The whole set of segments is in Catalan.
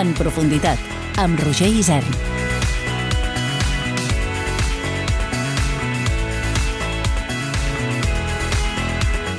En profunditat, amb Roger Isern.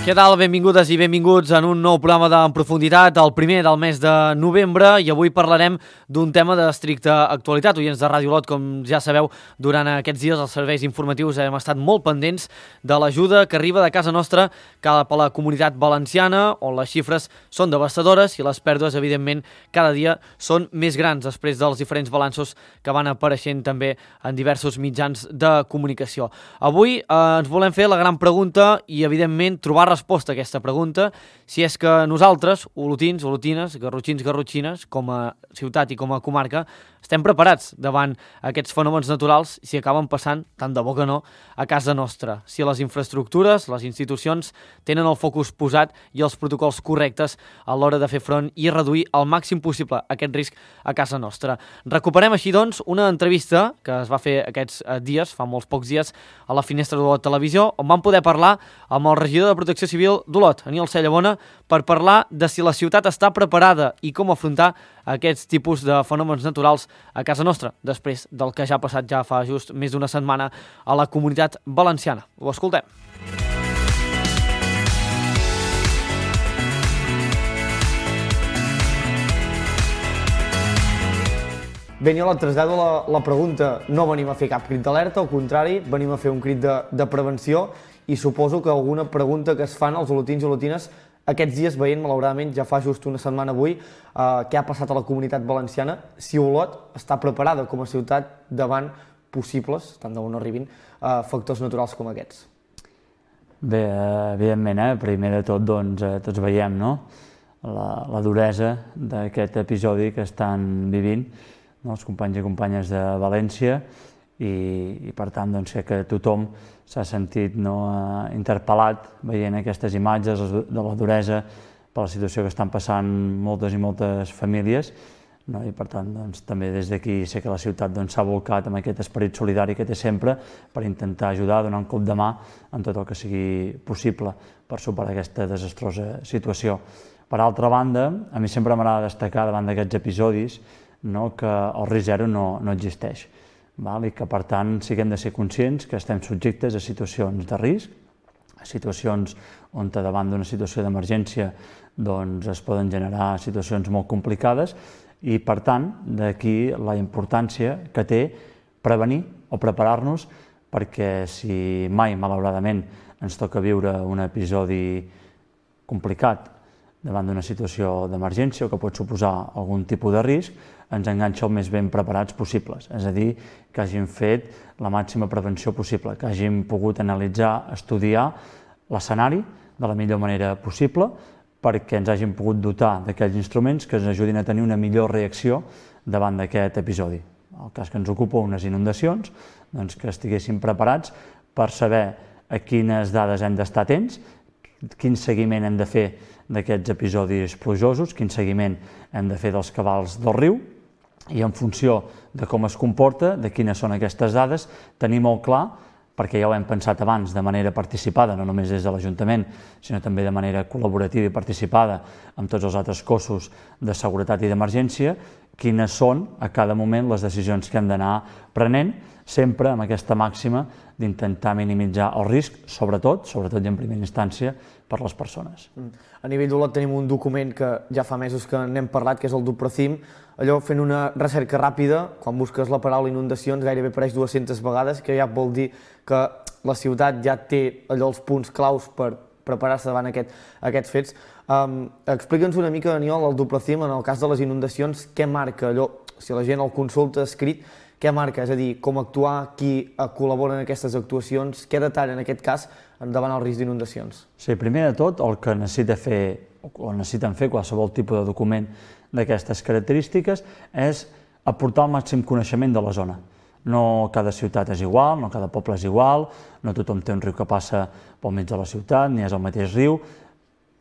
Què tal? Benvingudes i benvinguts en un nou programa d'En Profunditat, el primer del mes de novembre, i avui parlarem d'un tema d'estricta actualitat. Oients de Ràdio Olot, com ja sabeu, durant aquests dies els serveis informatius hem estat molt pendents de l'ajuda que arriba de casa nostra cap a la Comunitat Valenciana, on les xifres són devastadores i les pèrdues, evidentment, cada dia són més grans després dels diferents balanços que van apareixent també en diversos mitjans de comunicació. Avui ens volem fer la gran pregunta i, evidentment, trobar resposta a aquesta pregunta, si és que nosaltres, olotins, olotines, garrotxins, garrotxines, com a ciutat i com a comarca, estem preparats davant aquests fenòmens naturals si acaben passant, tant de bo que no, a casa nostra. Si les infraestructures, les institucions tenen el focus posat i els protocols correctes a l'hora de fer front i reduir al màxim possible aquest risc a casa nostra. Recuperem així, doncs, una entrevista que es va fer aquests dies, fa molts pocs dies, a la Finestra d'Olot Televisió, on vam poder parlar amb el regidor de Protecció Civil d'Olot, Aniol Cellabona, per parlar de si la ciutat està preparada i com afrontar aquests tipus de fenòmens naturals a casa nostra, després del que ja ha passat ja fa just més d'una setmana a la Comunitat Valenciana. Ho escoltem. Bé, Aniol, et trasllado la pregunta. No venim a fer cap crit d'alerta, al contrari, venim a fer un crit de prevenció, i suposo que alguna pregunta que es fan els olotins i olotines aquests dies veient, malauradament, ja fa just una setmana avui, què ha passat a la Comunitat Valenciana, si Olot està preparada com a ciutat davant possibles, tant de bo no arribin, factors naturals com aquests. Bé, evidentment, primer de tot, doncs, tots veiem, no?, la duresa d'aquest episodi que estan vivint, no?, els companys i companyes de València, i per tant, doncs, que tothom s'ha sentit, no, interpel·lat veient aquestes imatges de la duresa per la situació que estan passant moltes i moltes famílies, no? I per tant, doncs, també des d'aquí sé que la ciutat s'ha volcat amb aquest esperit solidari que té sempre per intentar ajudar, donar un cop de mà en tot el que sigui possible per superar aquesta desastrosa situació. Per altra banda, a mi sempre m'agrada destacar davant d'aquests episodis, no, que el risc zero no existeix. I que, per tant, sí que hem de ser conscients que estem subjectes a situacions de risc, a situacions on davant d'una situació d'emergència es poden generar situacions molt complicades i, per tant, d'aquí la importància que té prevenir o preparar-nos perquè si mai, malauradament, ens toca viure un episodi complicat davant d'una situació d'emergència o que pot suposar algun tipus de risc, ens enganxa el més ben preparats possibles, és a dir, que hagin fet la màxima prevenció possible, que hagin pogut analitzar, estudiar l'escenari de la millor manera possible perquè ens hagin pogut dotar d'aquells instruments que ens ajudin a tenir una millor reacció davant d'aquest episodi. En el cas que ens ocupa unes inundacions, doncs que estiguéssim preparats per saber a quines dades hem d'estar atents, quin seguiment hem de fer d'aquests episodis plujosos, quin seguiment hem de fer dels cabals del riu, i en funció de com es comporta, de quines són aquestes dades, tenir molt clar, perquè ja ho hem pensat abans, de manera participada, no només des de l'Ajuntament, sinó també de manera col·laborativa i participada amb tots els altres cossos de seguretat i d'emergència, quines són a cada moment les decisions que hem d'anar prenent, sempre amb aquesta màxima d'intentar minimitzar el risc, sobretot i en primera instància, per les persones. A nivell d'Olot tenim un document que ja fa mesos que n'hem parlat, que és el DUPROCIM. Allò, fent una recerca ràpida, quan busques la paraula inundacions gairebé apareix 200 vegades, que ja vol dir que la ciutat ja té allò els punts claus per preparar-se davant aquests fets. Explica'ns una mica, Aniol, el DUPROCIM, en el cas de les inundacions, què marca allò, si la gent el consulta escrit, què marca? És a dir, com actuar, qui col·labora en aquestes actuacions, què detalla en aquest cas davant el risc d'inundacions? Sí, primer de tot, el que necessiten fer qualsevol tipus de document d'aquestes característiques és aportar el màxim coneixement de la zona. No cada ciutat és igual, no cada poble és igual, no tothom té un riu que passa pel mig de la ciutat, ni és el mateix riu,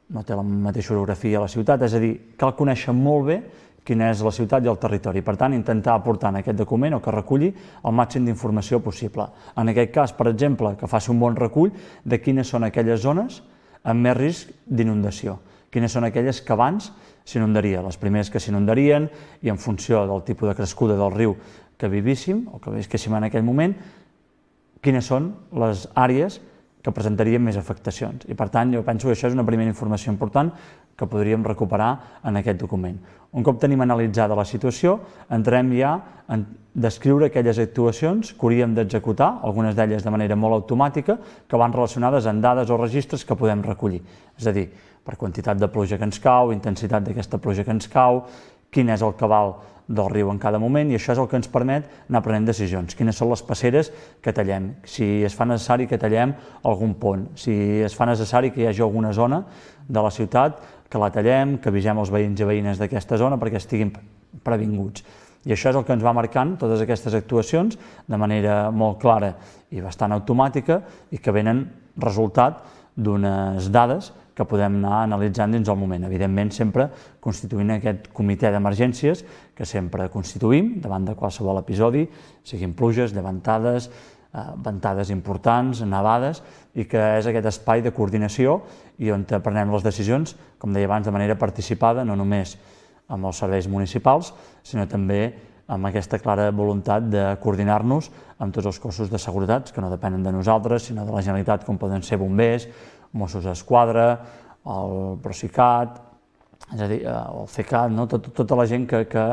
no té la mateixa orografia a la ciutat, és a dir, cal conèixer molt bé quina és la ciutat i el territori. Per tant, intentar aportar en aquest document o que reculli el màxim d'informació possible. En aquest cas, per exemple, que faci un bon recull de quines són aquelles zones amb més risc d'inundació, quines són aquelles que abans s'inundarien, les primeres que s'inundarien, i en funció del tipus de crescuda del riu que vivíssim o que visquéssim en aquell moment, quines són les àrees que presentarien més afectacions. I per tant, jo penso que això és una primera informació important que podríem recuperar en aquest document. Un cop tenim analitzada la situació, entrem ja en descriure aquelles actuacions que hauríem d'executar, algunes d'elles de manera molt automàtica, que van relacionades amb dades o registres que podem recollir. És a dir, per quantitat de pluja que ens cau, intensitat d'aquesta pluja que ens cau, quin és el cabal del riu en cada moment, i això és el que ens permet anar prenent decisions. Quines són les passeres que tallem, si es fa necessari que tallem algun pont, si es fa necessari que hi hagi alguna zona de la ciutat que la tallem, que avisem els veïns i veïnes d'aquesta zona perquè estiguin previnguts. I això és el que ens va marcant totes aquestes actuacions de manera molt clara i bastant automàtica i que venen resultat d'unes dades que podem anar analitzant dins el moment. Evidentment, sempre constituint aquest comitè d'emergències que sempre constituïm davant de qualsevol episodi, siguin pluges, llevantades, ventades importants, nevades, i que és aquest espai de coordinació i on prenem les decisions, com deia abans, de manera participada, no només amb els serveis municipals, sinó també amb aquesta clara voluntat de coordinar-nos amb tots els cossos de seguretat, que no depenen de nosaltres, sinó de la Generalitat, com poden ser bombers, Mossos d'Esquadra, el Procicat, és a dir, el CECAT, no? Tota la gent que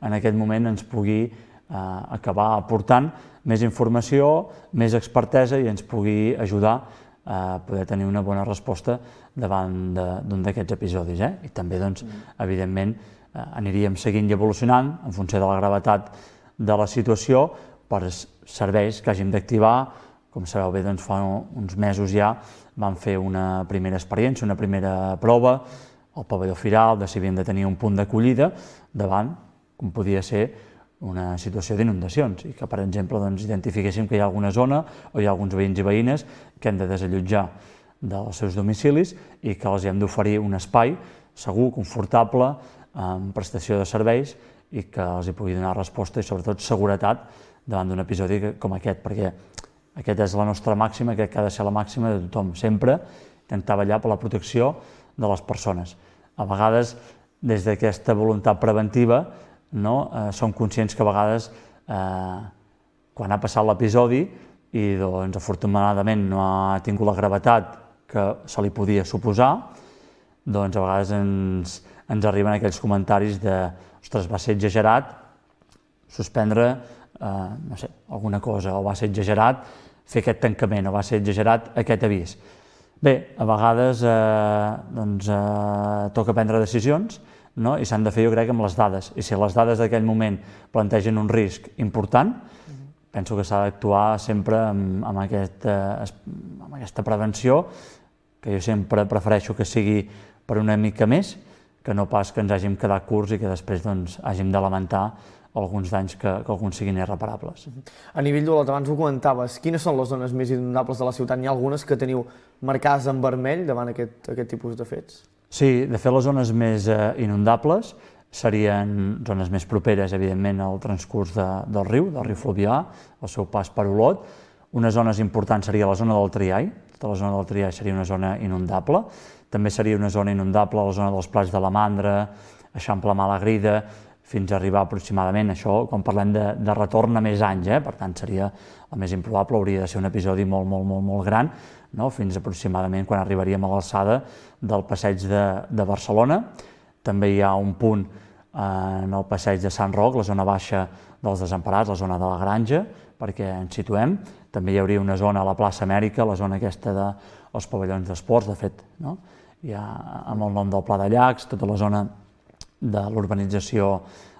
en aquest moment ens pugui acabar aportant més informació, més expertesa i ens pugui ajudar a poder tenir una bona resposta davant d'un d'aquests episodis. I també, evidentment, aniríem seguint i evolucionant en funció de la gravetat de la situació per serveis que hàgim d'activar. Com sabeu bé, fa uns mesos ja vam fer una primera experiència, una primera prova al pavelló Firal, de si havíem de tenir un punt d'acollida davant, com podia ser una situació d'inundacions, i que, per exemple, identifiquéssim que hi ha alguna zona o hi ha alguns veïns i veïnes que hem de desallotjar dels seus domicilis i que els hem d'oferir un espai segur, confortable, amb prestació de serveis i que els hi pugui donar resposta i, sobretot, seguretat davant d'un episodi com aquest, perquè aquesta és la nostra màxima, crec que ha de ser la màxima de tothom, sempre intentar vetllar per la protecció de les persones. A vegades, des d'aquesta voluntat preventiva, som conscients que a vegades, quan ha passat l'episodi i afortunadament no ha tingut la gravetat que se li podia suposar, a vegades ens arriben aquells comentaris de «ostres, va ser exagerat suspendre alguna cosa, o va ser exagerat fer aquest tancament, o va ser exagerat aquest avís». Bé, a vegades toca prendre decisions i s'han de fer, jo crec, amb les dades. I si les dades d'aquell moment plantegen un risc important, penso que s'ha d'actuar sempre amb aquesta prevenció, que jo sempre prefereixo que sigui per una mica més, que no pas que ens hàgim quedat curts i que després hàgim de lamentar alguns danys que alguns siguin irreparables. A nivell d'Olot, abans ho comentaves, quines són les zones més inundables de la ciutat? N'hi ha algunes que teniu marcades en vermell davant aquest tipus de fets? Sí, de fet, les zones més inundables serien zones més properes, evidentment, al transcurs del riu Fluvià, al seu pas per Olot. Unes zones importants seria la zona del Triai, tota la zona del Triai seria una zona inundable. També seria una zona inundable la zona dels Plats de la Mandra, Eixample Malagrida, fins a arribar aproximadament, això, quan parlem de retorn a més anys, per tant seria el més improbable, hauria de ser un episodi molt gran, fins aproximadament quan arribaríem a l'alçada del passeig de Barcelona. També hi ha un punt en el passeig de Sant Roc, la zona baixa dels Desemparats, la zona de la Granja, perquè ens situem. També hi hauria una zona a la plaça Amèrica, la zona aquesta dels pavellons d'esports, de fet, hi ha amb el nom del Pla de Llacs, tota la zona de l'urbanització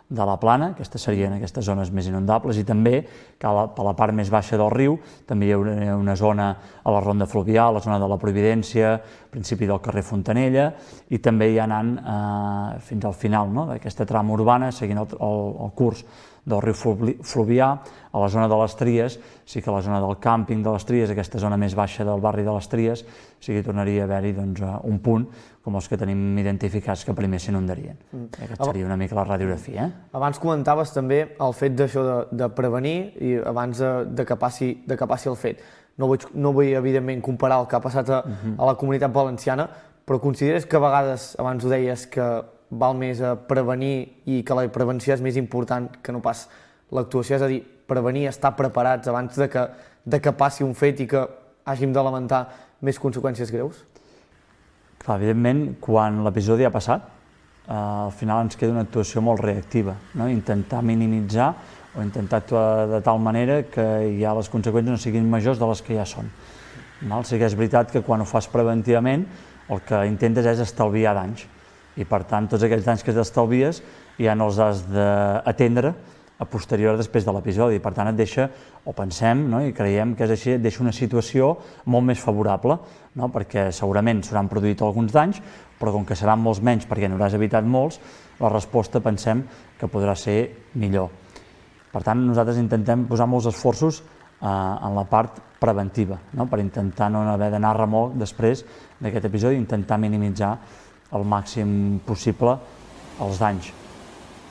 de la Plana, aquestes serien aquestes zones més inundables, i també que per la part més baixa del riu també hi ha una zona a la Ronda Fluvià, la zona de la Providència, principi del carrer Fontanella, i també ja anant fins al final d'aquesta trama urbana, seguint el curs del riu Fluvià, a la zona de les Tries, sí que a la zona del càmping de les Tries, aquesta zona més baixa del barri de les Tries, sí que tornaria a haver-hi un punt com els que tenim identificats que primer s'inundarien. Aquesta seria una mica la radiografia. Abans comentaves també el fet d'això de prevenir i abans de que passi el fet. No vull, evidentment, comparar el que ha passat a la Comunitat Valenciana, però consideres que a vegades, abans ho deies, que val més a prevenir i que la prevenció és més important que no pas l'actuació, és a dir, prevenir, estar preparats abans de que passi un fet i que hàgim de lamentar més conseqüències greus? Clar, evidentment, quan l'episodi ha passat, al final ens queda una actuació molt reactiva, no? Intentar minimitzar o intentar actuar de tal manera que ja les conseqüències no siguin majors de les que ja són. Sí que és veritat que quan ho fas preventivament el que intentes és estalviar danys i per tant tots aquells danys que t'estalvies ja no els has d'atendre a posterior després de l'episodi. Per tant et deixa, o pensem, no? I creiem que és així, et deixa una situació molt més favorable, no? Perquè segurament s'hauran produït alguns danys, però com que seran molts menys perquè n'hauràs evitat molts, la resposta pensem que podrà ser millor. Per tant, nosaltres intentem posar molts esforços en la part preventiva, no? Per intentar no haver d'anar a remolc després d'aquest episodi i intentar minimitzar el màxim possible els danys.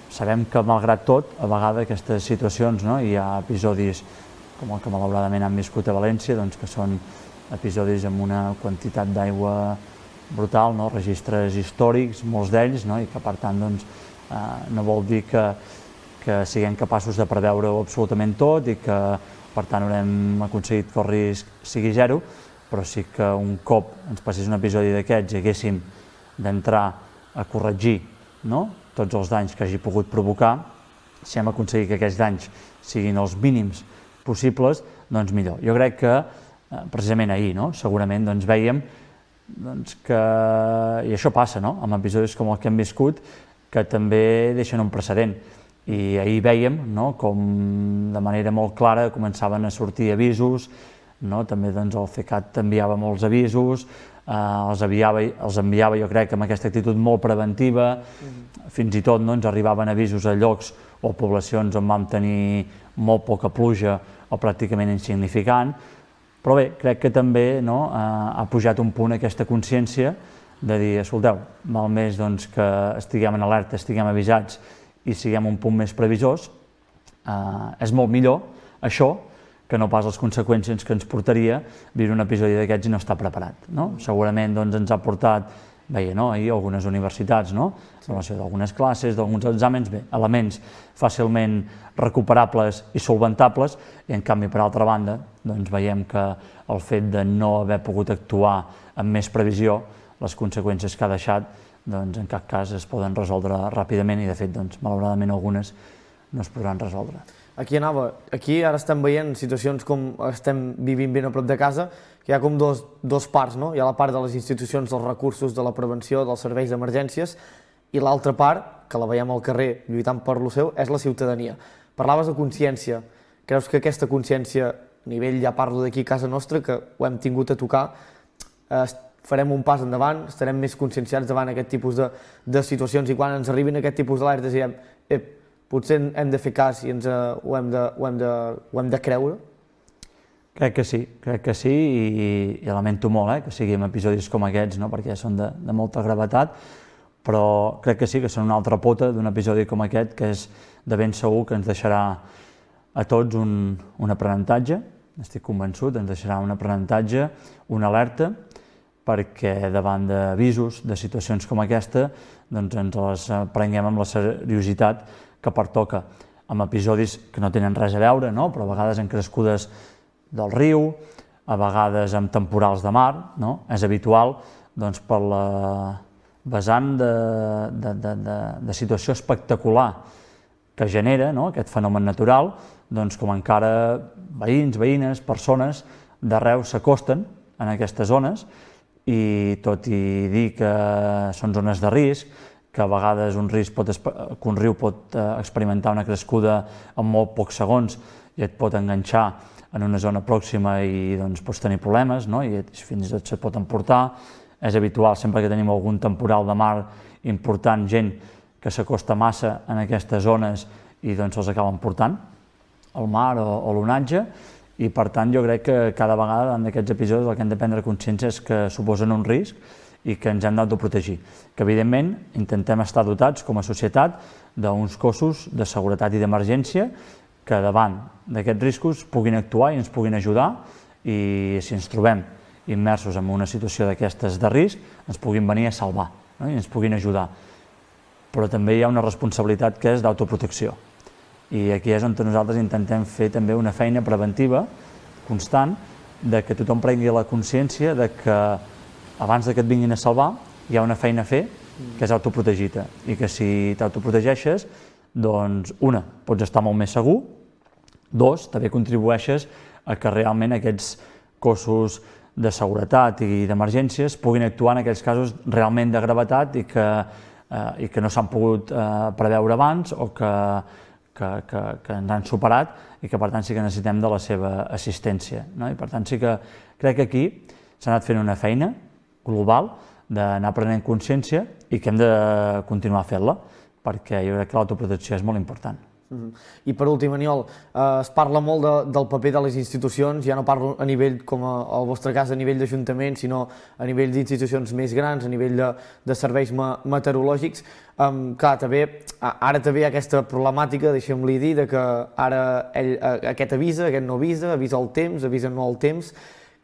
Sabem que, malgrat tot, a vegades aquestes situacions, no? Hi ha episodis com el que malauradament han viscut a València, doncs, que són episodis amb una quantitat d'aigua brutal, no? Registres històrics, molts d'ells, no? I que per tant doncs, no vol dir que siguem capaços de preveure-ho absolutament tot i que per tant haurem aconseguit que el risc sigui zero, però sí que un cop ens passés un episodi d'aquests i haguéssim d'entrar a corregir, no? Tots els danys que hagi pogut provocar, si hem aconseguit que aquests danys siguin els mínims possibles, doncs millor. Jo crec que precisament ahir, no? Segurament doncs, vèiem que, i això passa, no? Amb episodis com el que hem viscut, que també deixen un precedent. I ahir vèiem, no? Com de manera molt clara començaven a sortir avisos, no? També doncs, el CECAT enviava molts avisos, els enviava jo crec amb aquesta actitud molt preventiva, fins i tot no, ens arribaven avisos a llocs o poblacions on vam tenir molt poca pluja o pràcticament insignificant, però bé, crec que també no, ha pujat un punt aquesta consciència de dir, escolteu, val més doncs, que estiguem en alerta, estiguem avisats i siguem un punt més previsors, és molt millor això que no pas les conseqüències que ens portaria viure un episodi d'aquests i no estar preparat. No? Segurament doncs, ens ha portat, veia, no? Ahir algunes universitats, no? Sí. Relació d'algunes classes, d'alguns exàmens, bé, elements fàcilment recuperables i solventables, i en canvi, per altra banda, doncs, veiem que el fet de no haver pogut actuar amb més previsió, les conseqüències que ha deixat, doncs, en cap cas es poden resoldre ràpidament i, de fet, doncs, malauradament algunes no es podran resoldre. Aquí ara estem veient situacions com estem vivint ben a prop de casa, que hi ha com dos parts, no? Hi ha la part de les institucions, dels recursos, de la prevenció, dels serveis d'emergències, i l'altra part, que la veiem al carrer lluitant per lo seu, és la ciutadania. Parlaves de consciència. Creus que aquesta consciència, a nivell, ja parlo d'aquí a casa nostra, que ho hem tingut a tocar, farem un pas endavant, estarem més conscienciats davant aquest tipus de situacions i quan ens arribin aquest tipus d'alertes direm potser hem de fer cas i ho hem de creure? Crec que sí i lamento molt que siguin episodis com aquests, no? Perquè són de molta gravetat, però crec que sí que són una altra pota d'un episodi com aquest que és de ben segur que ens deixarà a tots un aprenentatge, estic convençut, ens deixarà un aprenentatge, una alerta, perquè davant d'avisos, de situacions com aquesta, doncs ens les prenguem amb la seriositat que pertoca, amb episodis que no tenen res a veure, no? Però a vegades en crescudes del riu, a vegades amb temporals de mar, no? És habitual doncs, per la vessant de situació espectacular que genera, no? Aquest fenomen natural, doncs, com encara veïns, veïnes, persones d'arreu s'acosten en aquestes zones i tot i dir que són zones de risc, que a vegades un riu pot experimentar una crescuda en molt pocs segons i et pot enganxar en una zona pròxima i doncs, pots tenir problemes, no? I fins i tot se't pot emportar. És habitual, sempre que tenim algun temporal de mar important, gent que s'acosta massa en aquestes zones i doncs se'ls acaba emportant el mar o l'onatge, i per tant jo crec que cada vegada en aquests episodis el que hem de prendre consciència és que suposen un risc i que ens hem d'autoprotegir, que evidentment intentem estar dotats com a societat d'uns cossos de seguretat i d'emergència que davant d'aquests riscos puguin actuar i ens puguin ajudar, i si ens trobem immersos en una situació d'aquestes de risc ens puguin venir a salvar, no? I ens puguin ajudar. Però també hi ha una responsabilitat que és d'autoprotecció. I aquí és on nosaltres intentem fer també una feina preventiva constant de que tothom prengui la consciència de que abans que et vinguin a salvar hi ha una feina a fer que és autoprotegir-te i que si t'autoprotegeixes, doncs, una, pots estar molt més segur, dos, també contribueixes a que realment aquests cossos de seguretat i d'emergències puguin actuar en aquells casos realment de gravetat i que no s'han pogut preveure abans o que ens han superat i que per tant sí que necessitem de la seva assistència, no? I per tant sí que crec que aquí s'ha anat fent una feina global d'anar prenent consciència i que hem de continuar fent-la, perquè jo crec que l'autoprotecció és molt important. I per últim, Aniol, es parla molt del paper de les institucions, ja no parlo a nivell, com al vostre cas, a nivell d'Ajuntament, sinó a nivell d'institucions més grans, a nivell de serveis meteorològics. Clar, ara també hi ha aquesta problemàtica, deixem-li dir, que ara aquest avisa, aquest no avisa, avisa el temps, avisa no el temps.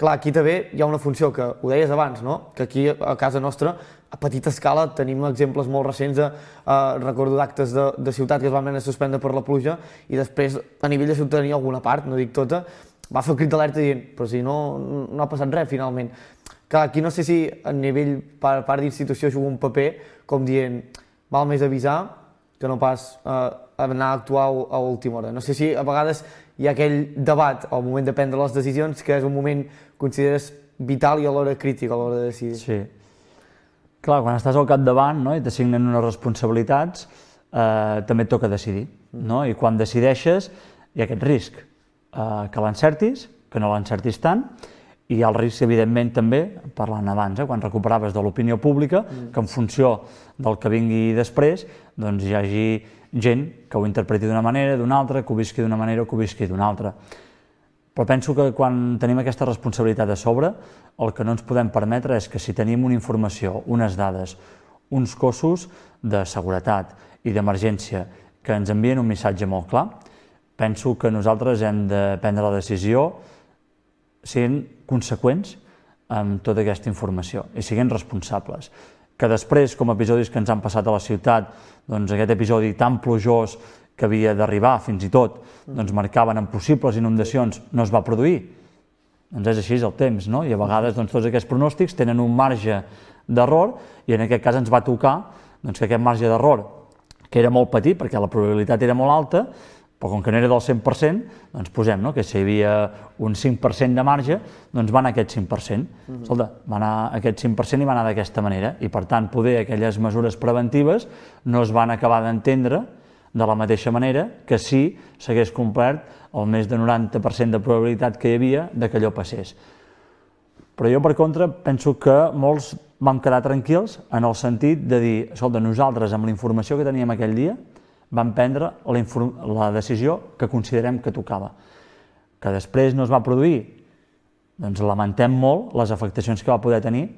Clar, aquí també hi ha una funció que, ho deies abans, no? Que aquí a casa nostra, a petita escala, tenim exemples molt recents recordo d'actes de ciutat que es van haver de suspendre per la pluja i després a nivell de ciutadania alguna part, no dic tota, va fer el crit d'alerta dient però si no ha passat res finalment. Clar, aquí no sé si a nivell per part d'institució juga un paper com dient val més avisar que no pas anar a actuar a última hora. No sé si a vegades hi ha aquell debat al moment de prendre les decisions que és un moment que consideres vital i alhora crític a l'hora de decidir. Sí. Clar, quan estàs al capdavant, no, i t'assignen unes responsabilitats, també et toca decidir, no? I quan decideixes hi ha aquest risc, que l'encertis, que no l'encertis tant, i hi ha el risc, evidentment, també, parlant abans, quan recuperaves de l'opinió pública, que en funció del que vingui després, doncs hi hagi gent que ho interpreti d'una manera, d'una altra, que ho visqui d'una manera o que ho visqui d'una altra. Però penso que quan tenim aquesta responsabilitat a sobre, el que no ens podem permetre és que si tenim una informació, unes dades, uns cossos de seguretat i d'emergència que ens envien un missatge molt clar, penso que nosaltres hem de prendre la decisió sent conseqüents amb tota aquesta informació i siguent responsables. Que després, com episodis que ens han passat a la ciutat, doncs aquest episodi tan plujós que havia d'arribar fins i tot, doncs marcaven en possibles inundacions, no es va produir. Doncs és així el temps, no? I a vegades tots aquests pronòstics tenen un marge d'error i en aquest cas ens va tocar que aquest marge d'error, que era molt petit perquè la probabilitat era molt alta, però com que no era del 100%, doncs posem que si hi havia un 5% de marge, doncs va anar aquest 5%. Escolta, va anar aquest 5% i va anar d'aquesta manera. I per tant, poder aquelles mesures preventives no es van acabar d'entendre de la mateixa manera que si s'hagués complert el més de 90% de probabilitat que hi havia que allò passés. Però jo, per contra, penso que molts vam quedar tranquils en el sentit de dir, escolta, nosaltres amb la informació que teníem aquell dia vam prendre la decisió que considerem que tocava. Que després no es va produir, doncs lamentem molt les afectacions que va poder tenir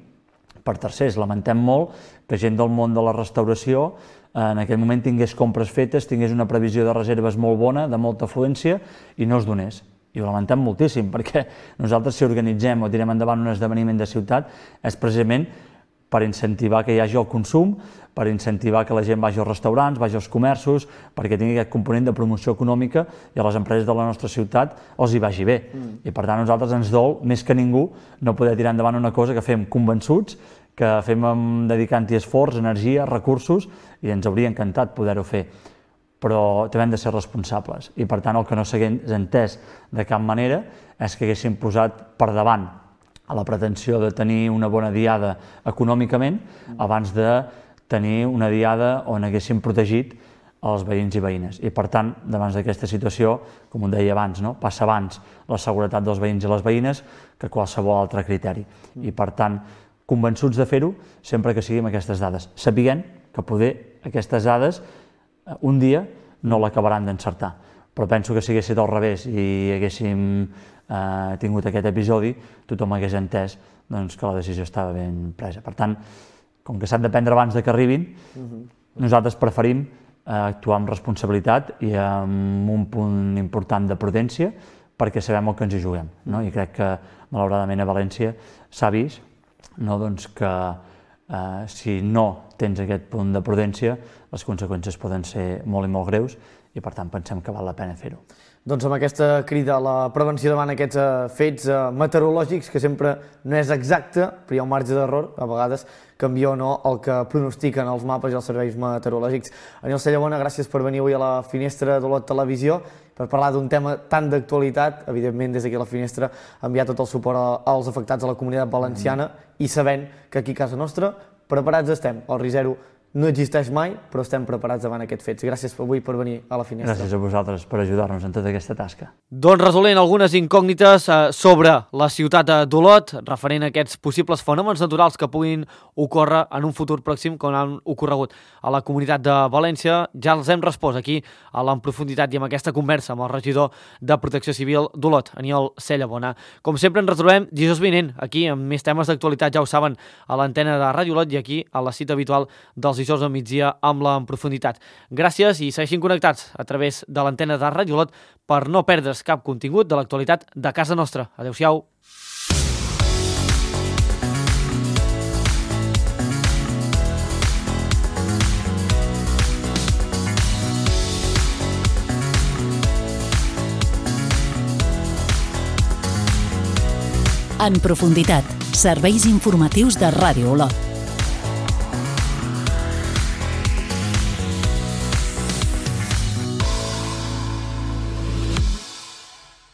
per tercers. Lamentem molt que gent del món de la restauració en aquell moment tingués compres fetes, tingués una previsió de reserves molt bona, de molta afluència, i no es donés. I ho lamentem moltíssim, perquè nosaltres si organitzem o tirem endavant un esdeveniment de ciutat és precisament per incentivar que hi hagi el consum, per incentivar que la gent vagi als restaurants, vagi als comerços, perquè tingui aquest component de promoció econòmica i a les empreses de la nostra ciutat els hi vagi bé. I per tant a nosaltres ens dol, més que ningú, no poder tirar endavant una cosa que fem convençuts, que fem dedicant-hi esforç, energia, recursos, i ens hauria encantat poder-ho fer. Però també hem de ser responsables. I per tant el que no s'hagués entès de cap manera és que haguéssim posat per davant a la pretensió de tenir una bona diada econòmicament abans de tenir una diada on haguéssim protegit els veïns i veïnes. I per tant, davant d'aquesta situació, com ho deia abans, passa abans la seguretat dels veïns i les veïnes que qualsevol altre criteri. I per tant, convençuts de fer-ho sempre que siguin aquestes dades, sapiguent que poder aquestes dades un dia no l'acabaran d'encertar. Però penso que si hagués estat al revés i haguéssim tingut aquest episodi, tothom hagués entès que la decisió estava ben presa. Per tant, com que s'han de prendre abans que arribin, nosaltres preferim actuar amb responsabilitat i amb un punt important de prudència, perquè sabem el que ens hi juguem, no? I crec que malauradament a València s'ha vist, no? Doncs que si no tens aquest punt de prudència, les conseqüències poden ser molt i molt greus i per tant pensem que val la pena fer-ho. Doncs amb aquesta crida a la prevenció davant aquests fets meteorològics, que sempre no és exacte, però hi ha un marge d'error, a vegades canvia o no el que pronostiquen els mapes i els serveis meteorològics. Aniol Cellabona, gràcies per venir avui a la Finestra d'Olot Televisió, per parlar d'un tema tan d'actualitat. Evidentment, des d'aquí a la Finestra, enviar tot el suport als afectats a la Comunitat Valenciana i sabent que aquí a casa nostra preparats estem. El risc zero no existeix mai, però estem preparats davant aquests fets. Gràcies avui per venir a la Finestra. Gràcies a vosaltres per ajudar-nos en tota aquesta tasca. Doncs resolent algunes incògnites sobre la ciutat d'Olot, referent a aquests possibles fenòmens naturals que puguin ocórrer en un futur pròxim, com han ocorregut a la Comunitat de València. Ja els hem respost aquí a l'en profunditat i amb aquesta conversa amb el regidor de Protecció Civil d'Olot, Aniol Cellabona. Com sempre ens retrobem dijous vinent, aquí amb més temes d'actualitat, ja ho saben, a l'antena de Ràdio Olot i aquí a la cita habitual dels dijous al migdia amb la en profunditat. Gràcies i segueixin connectats a través de l'antena de Ràdio Olot per no perdre's cap contingut de l'actualitat de casa nostra. Adéu-siau. En profunditat, serveis informatius de Ràdio Olot.